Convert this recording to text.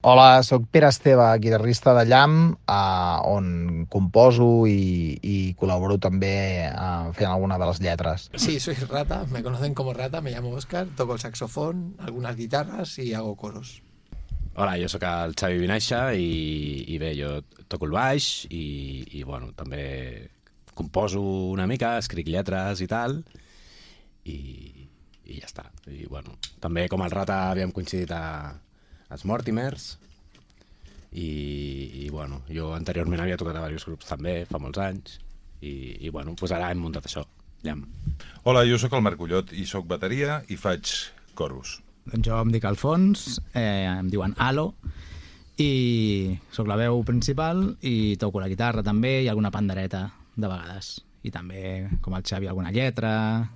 Hola, sóc Pere Esteve, guitarrista de Llamp, on composo i col·laboro també fent alguna de les lletres. Sí, soy Rata, me conocen como Rata, me llamo Oscar, toco el saxofón, algunas guitarras y hago coros. Hola, jo sóc el Xavi Vinaixa i bé, jo toco el baix bueno, també composo una mica, escric lletres i tal, i ja està. I bueno, també com el Rata havíem coincidit als Mortimers i bueno, jo anteriorment havia tocat a diversos grups també, fa molts anys, i bueno, doncs ara hem muntat això, Llamp. Hola, jo sóc el Marc Ullot i sóc bateria i faig coros. Doncs jo em dic Alfons, em diuen Alo, i sóc la veu principal i toco la guitarra també i alguna pandereta de vegades. I també, com el Xavi, alguna lletra,